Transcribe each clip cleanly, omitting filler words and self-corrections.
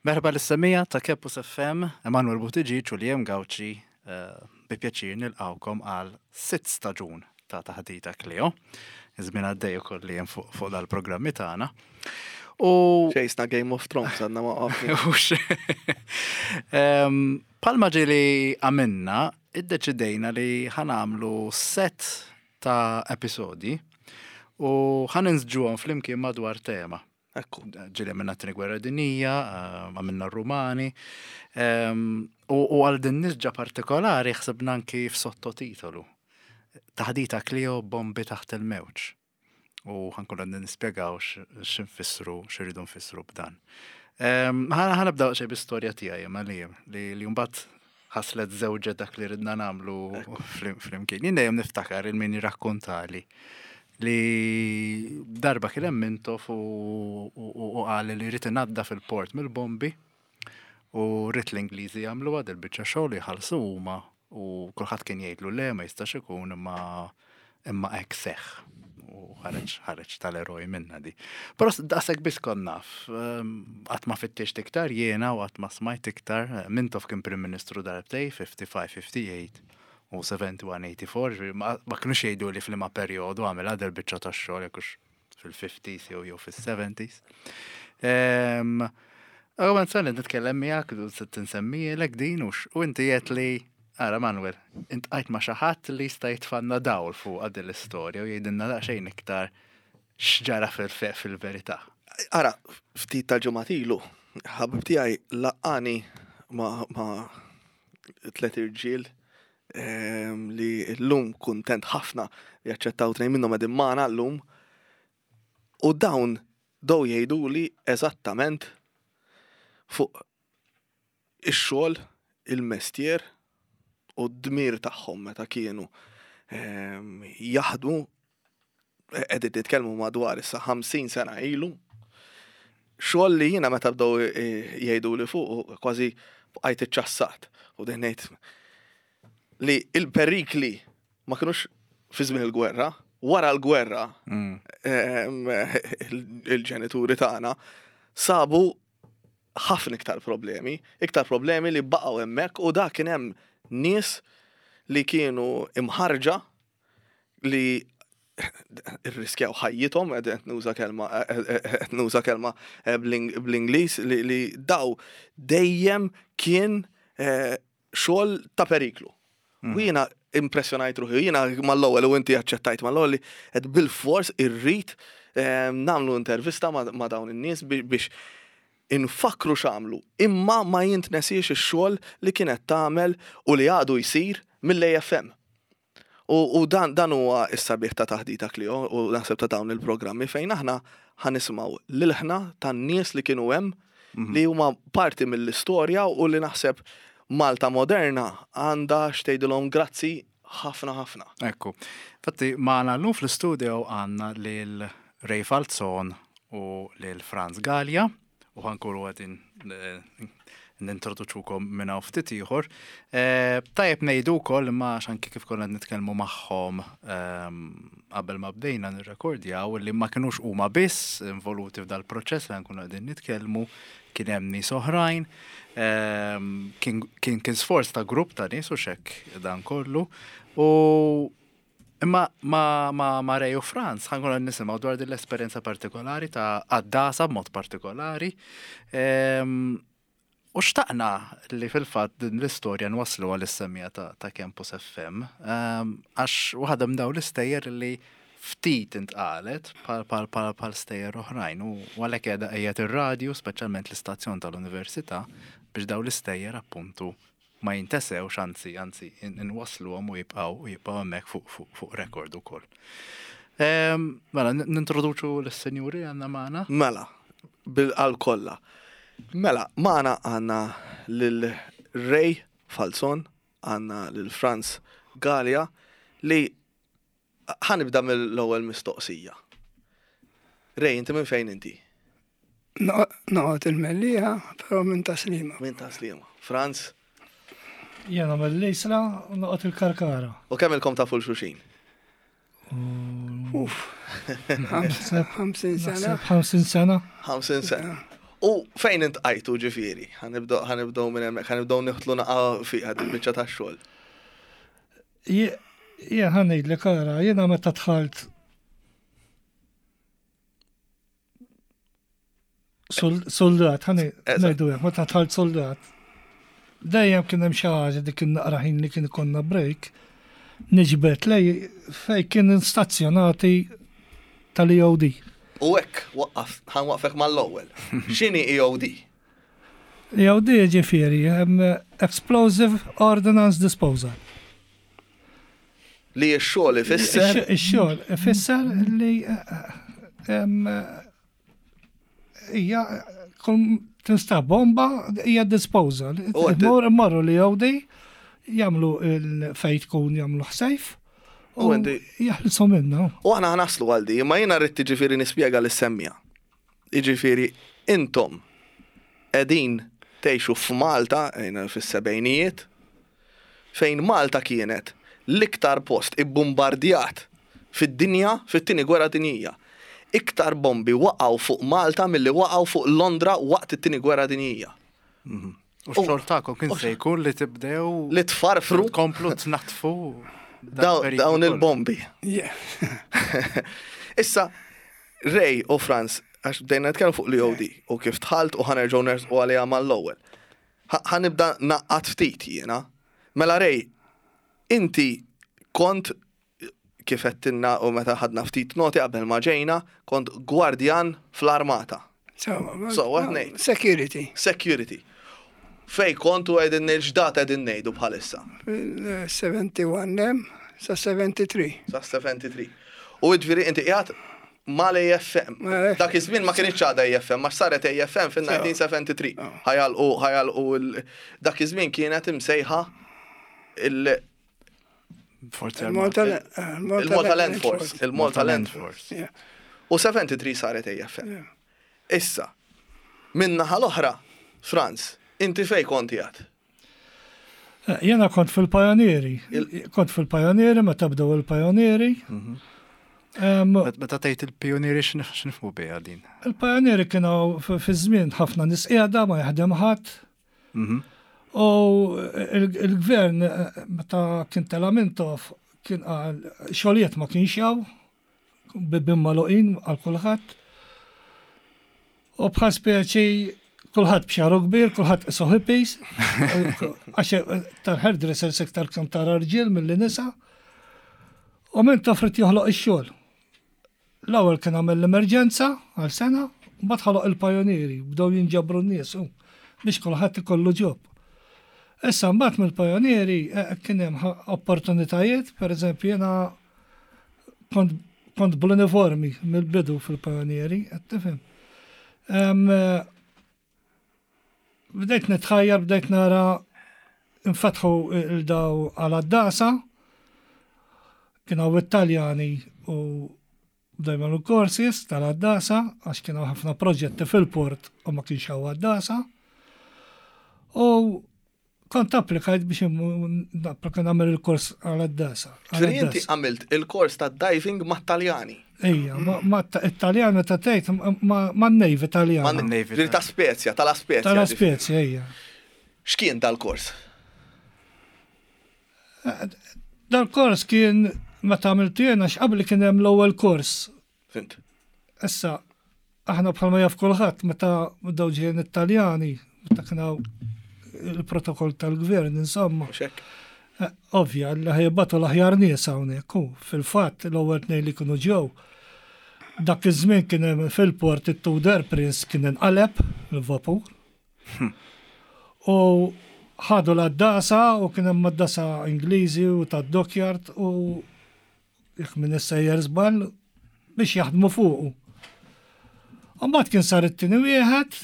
Merħba lis-semmiegħa ta' Campus FM, Emanuel Buttigieg u Liam Gauci eh, bi pjaċir nilqawkom għal sitt staġun ta' taħdita Cleo. Iż-żmien għaddej ukoll li hemm fuq fuq dal-programmi tagħna. U Ċejsna Game of Thrones għadna ma waqafni. Palma ġili għamilna, iddeċidejna li ħanamlu set ta' episodi u ħaninżġuhom flimkien madwar tema. Ekku. Ġili għamilna t-tieni gwerra dinija, eh, għamilna r-Rumani, ehm, u għal din nisġa partikolari ħsibna anki f'sottotitolu. Taħdita Clio bombi taħt il-mewġ. U ħankun għandna nispjegaw x'infissru, x'irridu nfissru b'dan. Ehm, ħanibda xejn bi-istorja tiegħi imma li li mbagħad ħaslet żewġet dak li ridna nagħmlu flimkien. Jien dejjem niftakar il-min jirrakkontali li darba kien hemm Mintoff u qal li jrid inaddaf il-port mill-bombi u rrid l-Ingliżi jagħmluha dil-biċċa xogħol jħallsu huma u kulħadd kien jgħidlu le ma jistax ikun imma imma hekk seħħ u ħareġ ħareġ tal-eroj minna di. Però daqshekk biss kont naf, ehm, qatt ma fittixt iktar jiena u qatt ma smajt iktar, Mintoff kien Prim Ministru darbtej 55-58 u 71-84, ġifieri ma ma kinux jgħidu li f'liema perjodu għamilha dil-biċċa tax-xogħol jekk hux fil-50s jew jew fis-70s. Ehm, Għawen sa nitkellem miegħek u se tinsemmielek din u u inti qed li ara Manuel, intqajt ma' xi ħadd li jista' jitfanna dawl fuq din l-istorja u jgħidilna daqsxejn iktar x'ġara fil-verità. Ara, ftit ta' ġimgħat ilu, ħabib tiegħi laqani ma' ma' tlet irġiel ehm, li llum kuntent ħafna li aċċettaw tnejn minnhom qegħdin magħna llum. U dawn dow jgħiduli eżattament fuq ix-xogħol, il-mestier u d-dmir tagħhom meta kienu ehm, jaħdmu qegħdin nitkellmu madwar issa 50 sena ilu. Xogħol li jiena meta bdew eh, jgħidu li fuq kważi bqajt iċċassat u dejjem ngħid li il-perikli ma kinux fi żmien il-gwerra, wara l-gwerra mm. ehm, il-ġenituri tagħna sabu ħafna iktar problemi, iktar problemi li baqgħu hemmhekk u dak kien hemm nies li kienu imħarġa li irriskjaw ħajjithom, qed nuża kelma qed nuża kelma eh, bl-Ingliż li daw dejjem kien eh, xogħol ta' periklu. U mm. jiena impressjonajt ruħi, jiena mal-ewwel u inti aċċettajt mal-ewwel li qed bil-fors irrid eh, nagħmlu intervista ma' dawn in-nies biex infakkru x'għamlu, imma ma jintnesiex ix-xogħol li kienet tagħmel u li għadu jsir mill-AFM. U, u dan, dan huwa s-sabiħ ta' taħdita Clio u naħseb ta' dawn il-programmi fejn aħna ħanisimgħu l-ilħna tan-nies li kienu hemm mhm. li huma parti mill-istorja u li naħseb Malta moderna għandha x'tgħidilhom grazzi ħafna ħafna. Ekku. Fatti magħna llum fl-istudio għandna lil Ray Falzon u lil Franz Gallia. u ħankunu għedin eh, nintroduċukom minn hawn ftit ieħor. Eh, tajjeb ngħidu wkoll imma għax anki kif konna nitkellmu magħhom ehm, qabel ma bdejna nirrekordjaw li ma kinux huma biss involuti f'dal-proċess li nkunu qegħdin nitkellmu, kien hemm nies oħrajn, ehm, kien kien sforz ta' grupp ta' nies u xekk dan kollu. U Imma ma, ma, ma Ray u Franz ħankun qed nisimgħu dwar din l-esperjenza partikolari ta' għaddasa b'mod partikolari. Ehm, u xtaqna li fil-fatt din l-istorja nwaslu għal is-semija ta', ta Campus FM, ehm, għax waħda minn dawn l-istejjer li ftit intqalet bħal stejjer oħrajn u għalhekk qiegħda qiegħed ir-radju, speċjalment l-istazzjon tal-università, biex dawn l-istejjer appuntu ma jintesewx anzi anzi inwassluhom u jibqgħu u jibqgħu hemmhekk fuq fuq fuq rekord ukoll. Ehm, mela, nintroduċu lis-sinjuri għandna magħna. Mela, bil-qalb kollha. Mela, magħna għandna lil Ray Falzon, għandna lil Franz Galea li Ħa nibda mill-ewwel mistoqsija. Ray, inti minn fejn inti? Noqgħod il-Mellieħa, però minn Taslima. Minn Taslima. Franz? Jena mill-Isla u noqgħod il-Karkara. U kemm ilkom tafu l-xuxin? Uff. 50 sena. 50 sena. 50 sena. U fejn intqajtu ġifieri? Ħa nibdew minn hemmhekk, ħa nibdew niħtlu naqa' fiha din biċċa tax-xogħol. Jien ħa ngħidlek ara, jiena meta dħalt soldat, ħa ngħidu hekk, meta dħalt soldat, dejjem kien hemm xi ħaġa dik in-naqra ħin li kien ikollna break, niġbed lej fejn kien stazzjonati tal-EOD. U hekk waqqaf, ħa nwaqqfek mal-ewwel. X'inhi EOD? EOD ġifieri Explosive Ordnance Disposal. Li x-xogħol ifisser? Ix-xogħol ifisser li hija tinstab bomba hija disposal. Morru li EOD jagħmlu il-fejn tkun jagħmlu ħsejf. U jaħlsu minna. U aħna ħanaslu għal di, imma jiena rrid jiġifieri nispjega lis-semmiegħa. Jiġifieri intom qegħdin tgħixu f'Malta fis-sebgħinijiet, fejn Malta kienet l-iktar post ibbumbardjat fid-dinja fit-Tieni Gwerra Dinjija. Iktar bombi waqgħu fuq Malta milli waqgħu fuq Londra waqt it-Tieni Gwerra Dinjija. U x-xogħol tagħkom kien se jkun li tibdew li tfarfru tkomplu tnaddfu dawn il-bombi. Issa, Ray u Franz, għax bdejna nitkellmu fuq l-EOD u kif dħalt u ħa nerġgħu nersqu għaliha mal-ewwel. Ħa nibda naqqat ftit jiena. Mela Ray, inti kont kif għedtilna u meta ħadna ftit noti qabel ma ġejna, kont gwardjan fl-armata. So, what ngħid? Security. Security. Fej kont u qegħdin ngħid x'data qegħdin ngħidu bħalissa? Fil-71 hemm sa 73. Sa 73. U jiġifieri inti qiegħed mal-AFM. Dak iż-żmien ma kienx għadha AFM, għax saret AFM fil-1973. Ħajalqu ħajalqu dak iż-żmien kienet imsejħa il- Il-Malta Land Force. Il-Malta Land Force. U 73 saret AFM. Issa, min-naħa l-oħra, Franz, inti fej kont qiegħed? Eh, jena kont fil-pajonieri. Kont fil-pajonieri, meta bdew il-pajonieri. Mhm. Meta tgħid il-pijonieri x'nifhmu biha din? Il-pajonieri kienu fi żmien ħafna nies qiegħda ma jaħdem ħadd. Mhm. U il-gvern meta kien tela Mintoff kien qal xogħlijiet ma kienx hawn, bibien magħluqin għal kulħadd. U bħal speċi kulħadd b'xaru kbir, kulħadd qisu hippies, għax tal-hairdressers iktar kemm tara rġiel milli nisa. U Mintoff rid joħloq ix-xogħol. L-ewwel kien għamel l-emerġenza għal sena, mbagħad ħoloq il-pajonieri, bdew jinġabru n-nies u biex kulħadd ikollu ġob. Issa mbagħad mill-pajonieri eh, kien hemm opportunitajiet, pereżempju jiena kont kont bl-uniformi mill-bidu fil-pajonieri, qed tifhem. Eh, bdejt nitħajjar, bdejt nara nfetħu il-daw għal għaddasa, kien hawn it-Taljani u bdew jagħmlu courses tal-għaddasa għax kien hawn ħafna proġetti fil-port u ma kienx hawn għaddasa. U kont applikajt biex napplika nagħmel il-kors għal-għaddasa. Ġifieri inti għamilt il-kors ta' diving mat-Taljani. Ejja, ma it-Taljan meta tgħid ma' Navy Taljan. Ma' Navy. Ta' Spezia, tal Spezia. Tal Spezia, ejja. X'kien dal-kors? Dal-kors kien meta għamiltu jien għax qabli kien hemm l-ewwel kors. Fint. Issa, aħna bħalma jaf kulħadd meta bdew ġejjin it-Taljani, meta kien hawn il-protokoll tal-gvern, insomma. Eh, ovvja, li ħajbatu l-aħjar nies hawnhekk. U fil-fatt l-ewwel tnejn li kienu ġew dak iż-żmien kien hemm fil-port it-Tudor Prince kien inqaleb il-vapur. U ħadu l-għaddasa u kien hemm għaddasa Ingliżi u tad-dockyard u jekk minn sejjer żball biex jaħdmu fuqu. U mbagħad kien sar it-tieni wieħed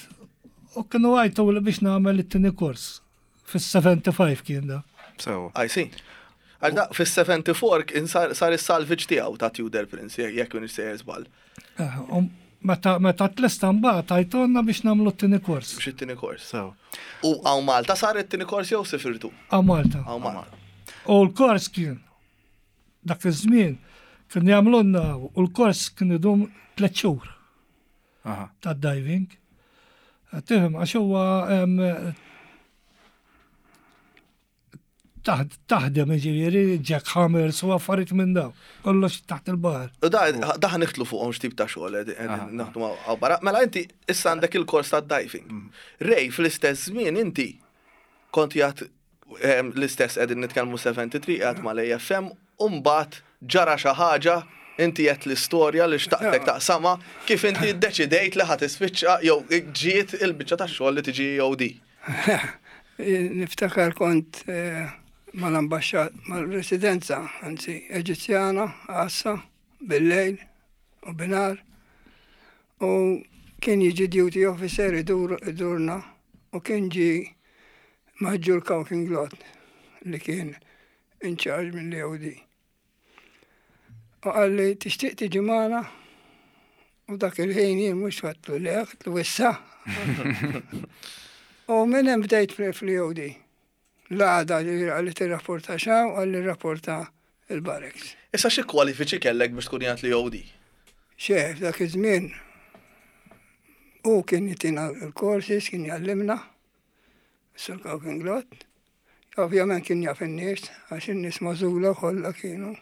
u kienu għajtu li biex nagħmel it-tieni kors. Fis-75 kien da. So, I see. Għax da fis-74 kien sar is-salvage tiegħu ta' Tudor Prince, jekk minn sejjer żball. Eh, um, meta meta tlesta mbagħad għajtonna biex nagħmlu t-tieni kors. Biex it-tieni kors. So. U hawn Malta sar it-tieni kors jew sifirtu? Hawn Malta. Hawn Malta. U l-kors kien dak iż-żmien kien jagħmlulna u l-kors kien idum tliet xhur tad-diving. Tifhem għax huwa taħdem ġifieri jack hammers u affarijiet minn daw. Kollox taħt il-baħar. U da niħtlu fuqhom x'tip ta' xogħol naħdmu barra. Mela inti issa għandek il-kors ta' diving. Mm. Rej, fl-istess żmien inti kont jgħat l-istess qegħdin nitkellmu 73 qiegħed mal-AFM u mbagħad ġara xi ħaġa inti qed l-istorja li xtaqtek taqsama kif inti ddeċidejt li ħa tispiċċa jew ġiet il-biċċa tax-xogħol li tiġi EOD. Niftakar kont eh, mal-ambaxxat mal-residenza, anzi Eġizzjana, għassa, bil-lejl u binar. U kien jiġi duty officer idur idurna u kien ġi Maġġur Cauquinglot li kien in charge mill-EOD. U qalli tixtieq tiġi magħna? U dak il-ħin jien mhux għedtlu le, għedtlu issa. U minn hemm bdejt fl-EOD. L-għada li qalli tirrapporta x'hawn, qalli rrapporta il-barracks. Issa xi kwalifiċi kellek biex tkun qiegħed l-EOD? Xe, f'dak iż-żmien hu kien jtina l-courses, kien jgħallimna. Sur Cauquinglot. Ovvjament kien jaf in-nies, għax in-nies magħżula kollha kienu.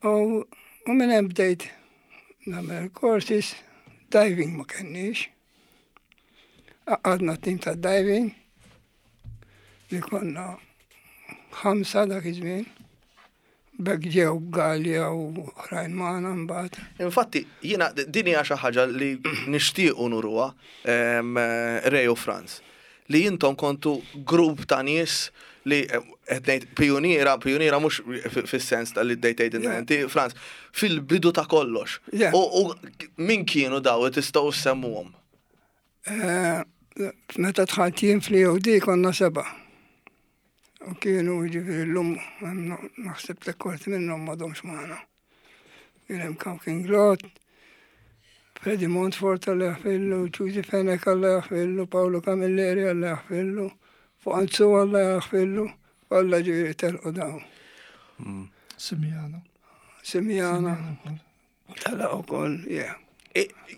U, u minn hemm bdejt nagħmel courses, diving ma kenniex. Għadna tim ta' diving li konna ħamsa dak iż-żmien. B'hekk ġew Galea u oħrajn magħna mbagħad. Infatti, jiena din hija xi ħaġa li nixtiequ nuruha Ray u Frans, li intom kontu grupp ta' nies li qed ngħid pijuniera, pijuniera mhux fis-sens ta' li bdejt tgħidilna inti Frans, fil-bidu ta' kollox. U min kienu daw li tistgħu ssemmuhom? Meta dħalt jien fl-EOD konna sebgħa. U kienu ġifieri llum naħseb li kwarti minnhom m'għadhomx magħna. Kien hemm Kawkin Glot, Freddy Montfort Alla jaħfillu, Ġużi Fenech Alla jaħfillu, Paolo Camilleri Alla jaħfillu, Fuq Alla jaħfillu, kollha ġifieri telqu dawn. Simjana. Simjana. Telaq ukoll, yeah.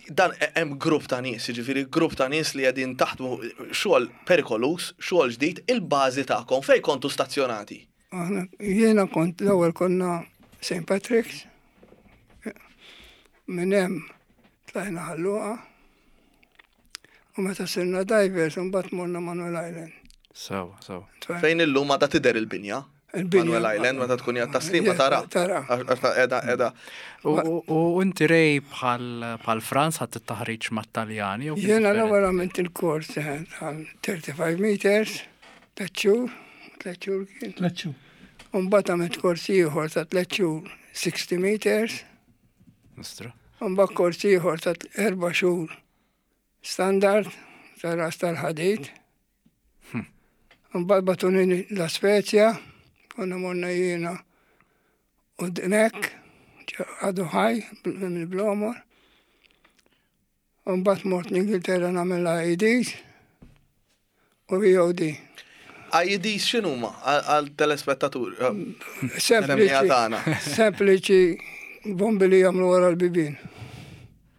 Dan hemm grupp ta' nies, jiġifieri grupp ta' nies li qegħdin taħdmu xogħol perikoluż, xogħol ġdid, il-bażi tagħkom fejn kontu stazzjonati? Aħna jiena kont l-ewwel konna St. Patrick's. Minn hemm tlajna Ħal Luqa. U meta sirna divers imbagħad morna Manuel Island. Sewa, sewa. Fejn illum għadha tidher il-binja. Manuel Island, meta tkun jgħat taslima tara. Tara. Edha, edha. U inti rej bħal Franz ħadd it-taħriġ mat-Taljani? Jiena l-ewwel għamilt il-kors eh, tal 35 meters, tliet xhur, tliet xhur kien. Tliet xhur. U mbagħad għamilt kors ieħor ta' tliet xhur 60 meters. Nostra. U mbagħad kors ieħor ta' erba' xhur Standard ta' ras tal-ħadid. Hm. Mbagħad batuni La Spezia, konna morna jiena u Dmek, għadu ħaj mill-Blomor. Mbagħad mort l-Ingilterra nagħmel IEDs u VOD. IEDs x'inhuma għal telespettatur? Sempliċi. Sempliċi bombi li jagħmlu wara l-bibien.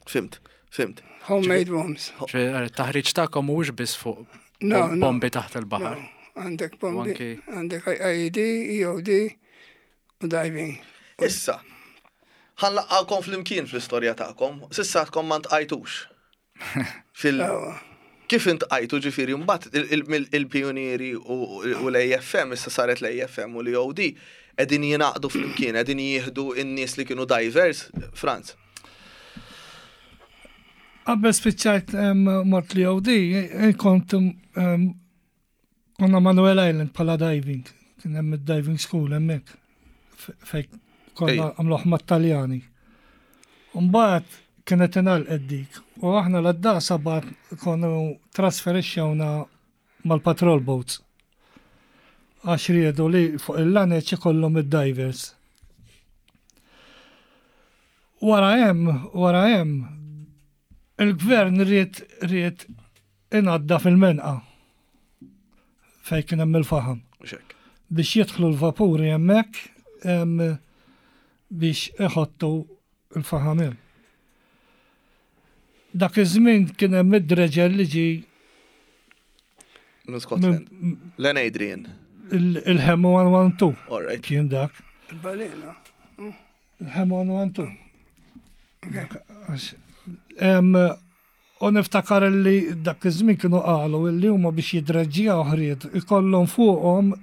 Fimt, fimt. Homemade bombs. Taħriġ tagħkom mhuwiex biss fuq bombi taħt il-baħar. Għandek bombi, għandek IED, EOD u diving. Issa, ħanlaqqakom fl-imkien fl-istorja tagħkom, sissa għadkom ma ntqajtux. Fil Kif intqajtu ġifieri mbagħad il-pijunieri u l-AFM, issa saret l-AFM u l-EOD, qegħdin jingħaqdu flimkien, qegħdin jieħdu n-nies li kienu divers, Franz? Qabel spiċċajt mort l-EOD, kont Konna Manuel Island bħala diving, kien hemm id-diving school hemmhekk fejn konna għamluh mat-Taljani. Mbagħad kienet ingħalqet dik u aħna l-għaddasa bagħat konu trasferixxewna mal-patrol boats. Għax riedu li fuq il-laneċ ikollhom id-divers. Wara hemm, wara hemm, il-gvern ried ried Inaddaf il-menqa fejn kien hemm il-faħam. Biex jidħlu l-vapuri hemmhekk biex iħottu l-faħam hemm. Dak iż-żmien kien hemm id-dredger li ġie Minn Scotland. Len Adrian. Il-Hemo 112. All right. Kien dak. Il-balena. Il-Hemo 112. U niftakar li dak iż-żmien kienu qalu li huma biex jidreġġjaw ħriet ikollhom fuqhom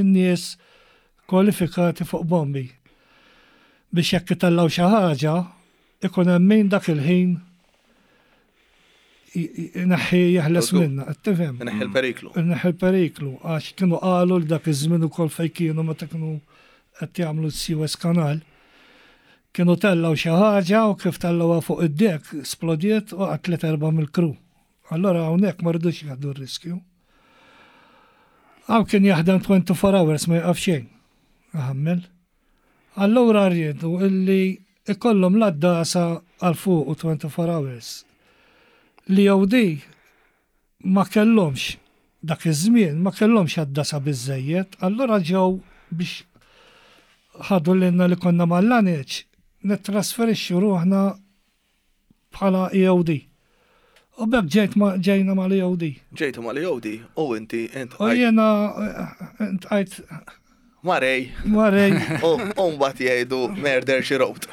in-nies kwalifikati fuq bombi. Biex jekk itellgħu xi ħaġa, ikun hemm min dak il-ħin ineħħi jeħles minnha, qed tifhem? Ineħħi l-periklu. Ineħħi l-periklu, għax kienu qalu li dak iż-żmien ukoll fejn kienu meta kienu qed jagħmlu s-Suez Canal, kienu tellgħu xi ħaġa u kif tellgħuha fuq id-dek splodiet u qatlet erba' mill-crew. Allora hawnhekk ma ridux jieħdu r-riskju. Hawn kien jaħdem 24 hours ma jaqaf xejn. Iħammel. Allura riedu illi ikollhom l-għaddasa għal fuqu 24 hours. L-EOD ma kellhomx dak iż-żmien ma kellhomx għaddasa biżżejjed, allura ġew biex ħadu lilna li konna mal-laneċ nittrasferixxu ruħna bħala EOD. U b'hekk ġejt ma ġejna mal-EOD. Ġejtu mal-EOD u inti U jiena intqajt Marej. Marej. U mbagħad jgħidu murder she wrote.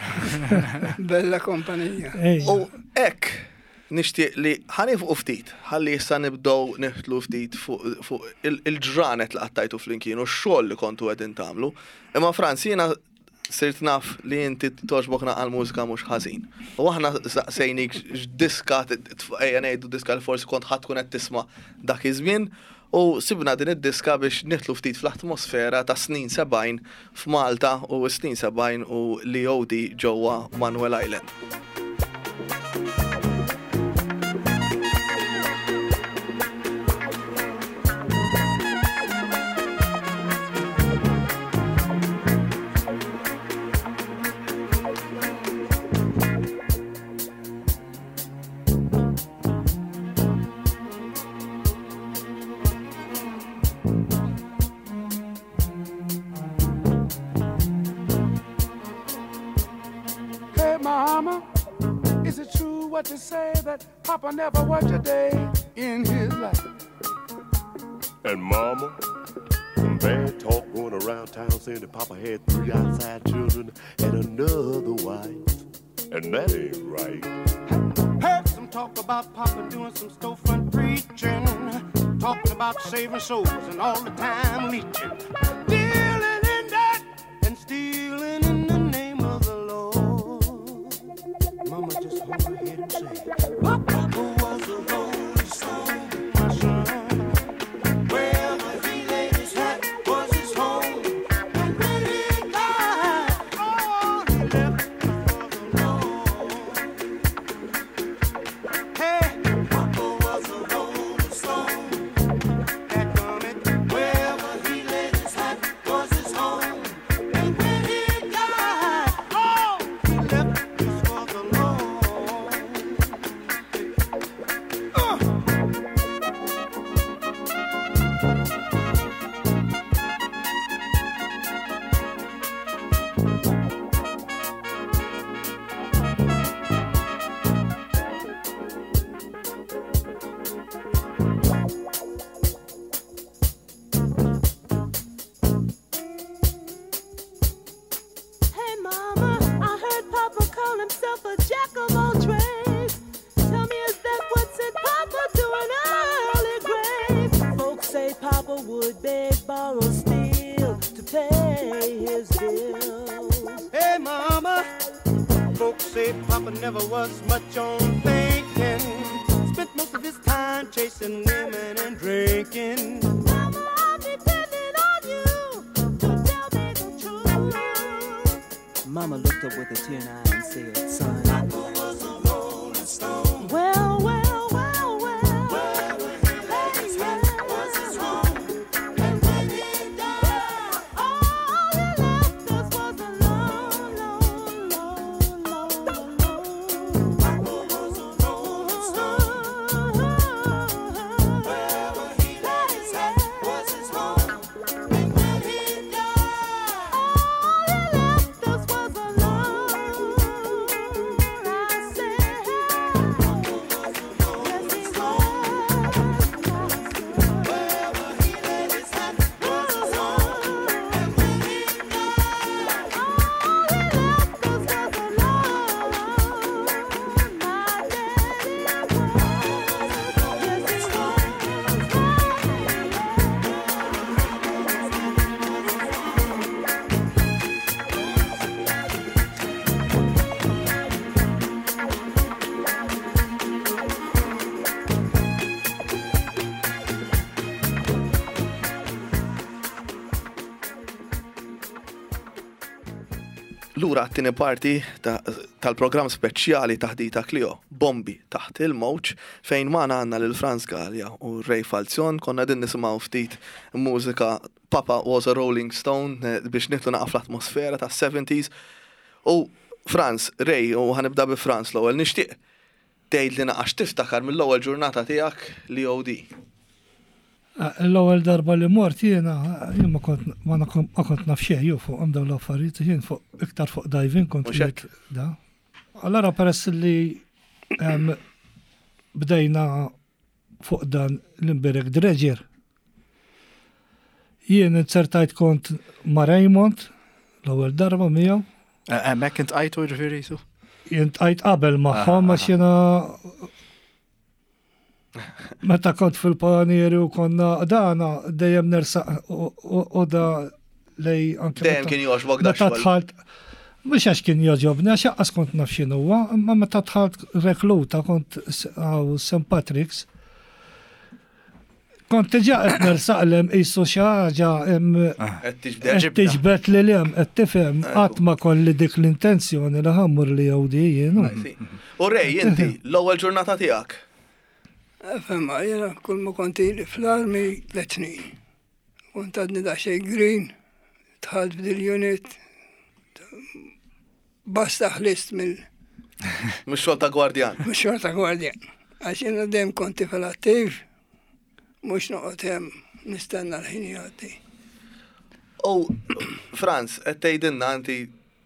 Bella kompanija. U hekk nixtieq li ħanifqu ftit, ħalli issa nibdew niħtlu ftit fuq il-ġranet li qattajtu flimkien u x-xogħol li kontu qegħdin tagħmlu. Imma Franz, jiena Sirt naf li inti togħġbok naqra l-mużika mhux ħażin. U aħna saqsejnik x'diska ejja ngħidu diska li forsi kont ħa tkun qed tisma' dak iż-żmien u sibna din id-diska biex nidħlu ftit fl-atmosfera tas-snin 70 f'Malta u s-snin 70 u l-EOD ġewwa Manuel Island. Hey mama, is it true what you say that Papa never worked a day in his life? And mama, some bad talk going around town saying that Papa had three outside children and another wife. And that ain't right. Heard some talk about Papa doing some storefront preaching, talking about saving souls and all the time leeching, dealing in that and stealing in the name of the Lord. Mama just hold her head and say, Papa was a rolling stone, my son. Wherever he laid his hat was his home. And when he died, all he left was alone. Hey, Papa was a rolling stone. Dadgummit, wherever he laid his hat was his home. And when he died, all he left us was alone. Hey mama, I heard Papa call himself a jack of all trades. Tell me, is that what sent Papa to an early grave? Folks say Papa would beg, borrow, steal to pay his bills. Hey mama, folks say Papa never was much on thinking. Spent most of his time chasing women and drinking. Mama, I'm depending on you to tell me the truth. Mama looked up with a tear in her eye and said, son, Papa was a rolling stone. Well, well, well, well. Wherever he laid his hat was his home. And when he died, all he left us was alone, lone, lone, lone, lone. Papa was a rolling stone. Wherever he laid his hat was his home. And when he died, all he left us was alone. Lura għat-tieni parti tal-programm speċjali Taħdita Clio, Bombi taħt il-mewġ, fejn magħna għandna lil Frans Galea u Ray Falzon. Konna qegħdin nisimgħu ftit mużika Papa was a Rolling Stone eh, biex nitlu naqa' fl-atmosfera tas-70s. U Frans, Ray, u ħanibda bi Frans l-ewwel nixtieq tgħidli naqa' x'tiftakar mill-ewwel ġurnata tiegħek li OD. L-ewwel darba li mort jiena, jien ma kont ma kont naf xejn ju fuqhom dawn l-affarijiet, jien fuq iktar fuq diving kont qiegħed da. Allora peress li bdejna fuq dan l-imbirek dredger, jien inzertajt kont ma' Raymond l-ewwel darba miegħu. Hemmhekk intqajtu jiġifieri jisu? Jien tqajt qabel magħhom għax jiena Meta kont fil-panieri u konna dana dejjem nersaq u da lej anke. Dejjem kien jogħġbok da Meta dħalt mhux għax kien jogħġobni għax aqqas kont naf x'inhuwa, imma meta dħalt rekluta kont għaw St. Patrick's. Kont diġà qed nersaq lem qisu xi ħaġa qed tiġbed lil hemm qed tifhem qatt ma kolli dik l-intenzjoni li ħammur li jew di jien. U Ray, inti l-ewwel ġurnata tiegħek? Fema, jiena kull ma kont ili fl-armi tliet snin. Kont għadni daqsxejn green, dħalt f'dil-unit, Basta ħlist mill. Mux xogħol ta' gwardjan. Mux xogħol ta' gwardjan. Għax jiena dejjem kont tifel attiv, mhux noqgħod hemm nistenna l-ħin jgħaddi. U Franz, qed tgħidilna inti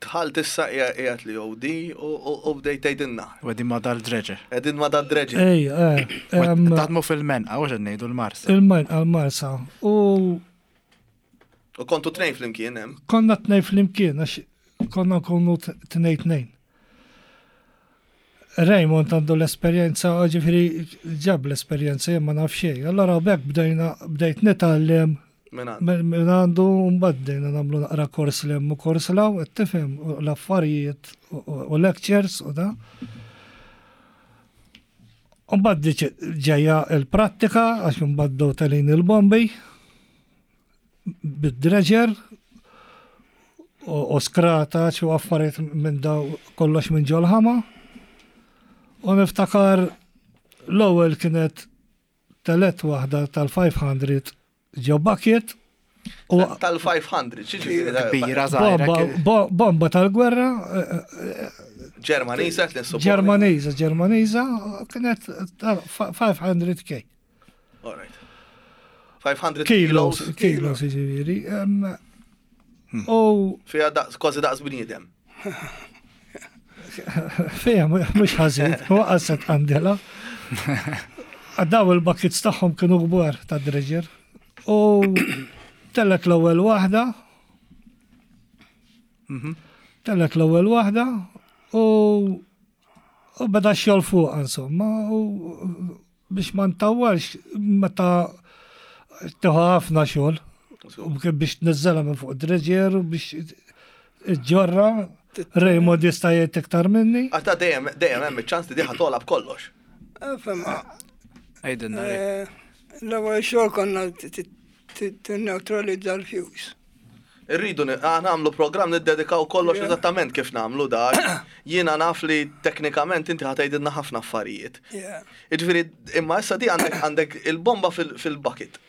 dħalt issa qiegħed li OD u bdejt tgħidilna. U qegħdin ma' dal-dreġer. Qegħdin ma' dal-dreġer. Ej, eh. Taħdmu fil-menqa, u qed ngħidu l-Marsa. Il-menqa l-Marsa. U U kontu tnejn flimkien hemm? Konna tnejn flimkien għax konna nkunu tnejn tnejn. Raymond għandu l-esperjenza, ġifieri ġab l-esperjenza jien ma naf xejn. Allora b'hekk bdejna bdejt nitgħallem minn għandu mbagħad bdejna nagħmlu naqra kors l hemm u kors l hawn, qed tifhem l-affarijiet u lectures u da. Mbagħad ġejja l-prattika għax imbagħad bdew telgħin il-bombi. bid-dredger u skrata u affarijiet minn daw kollox minn ġol-ħama. U niftakar l-ewwel kienet telet waħda tal-500 ġo bucket. Tal-500, xiġifieri? Kbira żgħira. Bomba tal-gwerra. Ġermaniża qed nissuponi. Ġermaniża, Ġermaniża, kienet 500k. All right. 500 kilos. Kilos, ġifieri. Hmm. U. Fija daqs, kważi daqs bniedem. Fija, mhux ħażin, waqgħet għandela. Daw il-buckets tagħhom kienu kbar ta' dredger. U tellet l-ewwel waħda. Mhm. Tellet l-ewwel waħda u u beda xogħol fuq insomma u Biex ma ntawwalx meta tieħu ħafna xogħol biex tniżżelha minn fuq dredger u biex iġġorra Raymond jista' jgħid iktar minni. Għata dejjem dejjem hemm iċ-ċans li diħa togħla b'kollox. Eh, Fema. Għidilna. Eh, l-ewwel xogħol konna tinneutralizza l-fuse. Irridu nagħmlu programm niddedikaw kollox eżattament kif nagħmlu dak. Jiena naf li teknikament inti ħa tgħidilna ħafna affarijiet. Jiġifieri imma issa di għandek għandek il-bomba fil-bucket.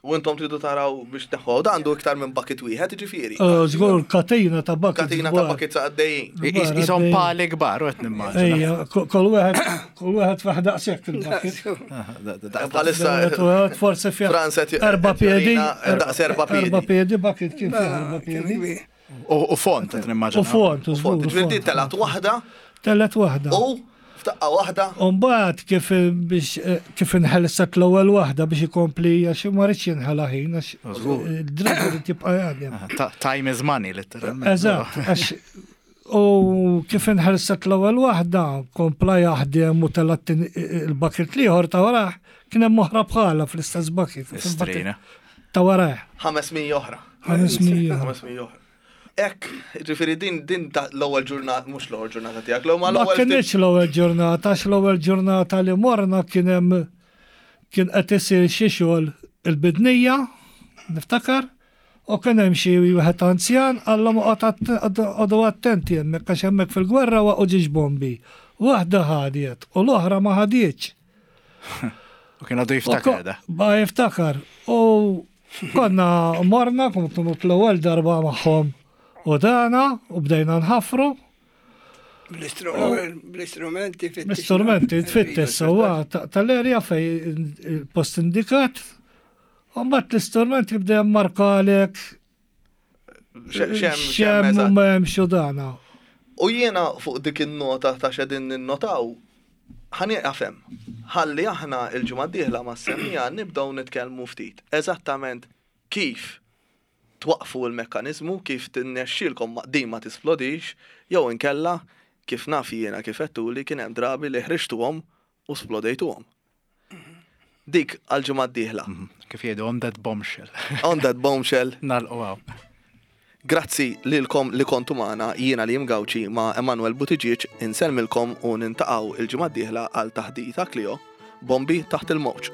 U intom tridu taraw biex tneħħuha. U da għandu iktar minn bucket wieħed, jiġifieri. Żgur katina ta' bucket. Katina ta' buckets għaddejjin. Isom pali kbar u qed nimmaġina. Ejja, kull wieħed kull wieħed fih daqshekk il-bucket. Bħalissa. Forse fih. Erba piedi. Daqs erba piedi. Erba piedi bucket kien fih erba piedi. U font, qed nimmaġina. U font, u font. Ġifieri telat waħda. Telat waħda. U f'daqqa waħda. U mbagħad kif biex kif inħelset l-ewwel waħda biex ikompli għax ma rridx jinħela ħin għax id-driver irid jibqa' jaħdem. Time is money, letteralment. Eżatt, għax U kif inħelset l-ewwel waħda, kompla jaħdem u tela' il-bucket l-ieħor ta' warajh, kien hemm oħra bħalha fl-istess bucket. Istrina. Ta' warajh. 500 oħra. 500. 500 oħra. Ek, ġifiri din din ta' l-ewwel ġurnata, mhux l-ewwel ġurnata tiegħek, l-ewwel Ma kienx l-ewwel ġurnata, għax l-ewwel ġurnata li morna kien hemm kien qed isir xi xogħol il-bidnija, niftakar. U kien hemm xi wieħed anzjan qallhom oqgħod attenti hemmhekk għax hemmhekk fil-gwerra waqgħu ġiex bombi. Waħda ħadiet u l-oħra ma ħadietx. U kien għadu jiftakar da. Ba jiftakar. U konna morna, kontu l-ewwel darba magħhom u dana u bdejna nħaffru. Bl-istrumenti fit Bl-istrumenti tfittex sewwa tal-erja fej il-post indikat. U mbagħad l-istrument jibda jimmarkalek xem u m'hemmx u dana. U jiena fuq dik in-nota ta' x'qegħdin ninnotaw, ħa nieqaf hemm. Ħalli aħna l-ġimgħa d-dieħla mas-semmiegħa nibdew nitkellmu ftit eżattament kif twaqqfu l-mekkaniżmu, kif tirnexxielkom din ma tisplodix, jew inkella, kif naf jiena kif għedtuli, kien hemm drabi li ħriġtuhom u splodejtuhom. Dik għall-ġimgħa d-dieħla. Kif jgħidu on that bombshell. On that bombshell. Nagħlqu hawn. Grazzi lilkom li kontu magħna, jiena Liam Gauci ma' Emanuel Buttigieg insellmilkom u nintaqgħu il-ġimgħa d-dieħla għal Taħdita Clio, Bombi taħt il-mewġ.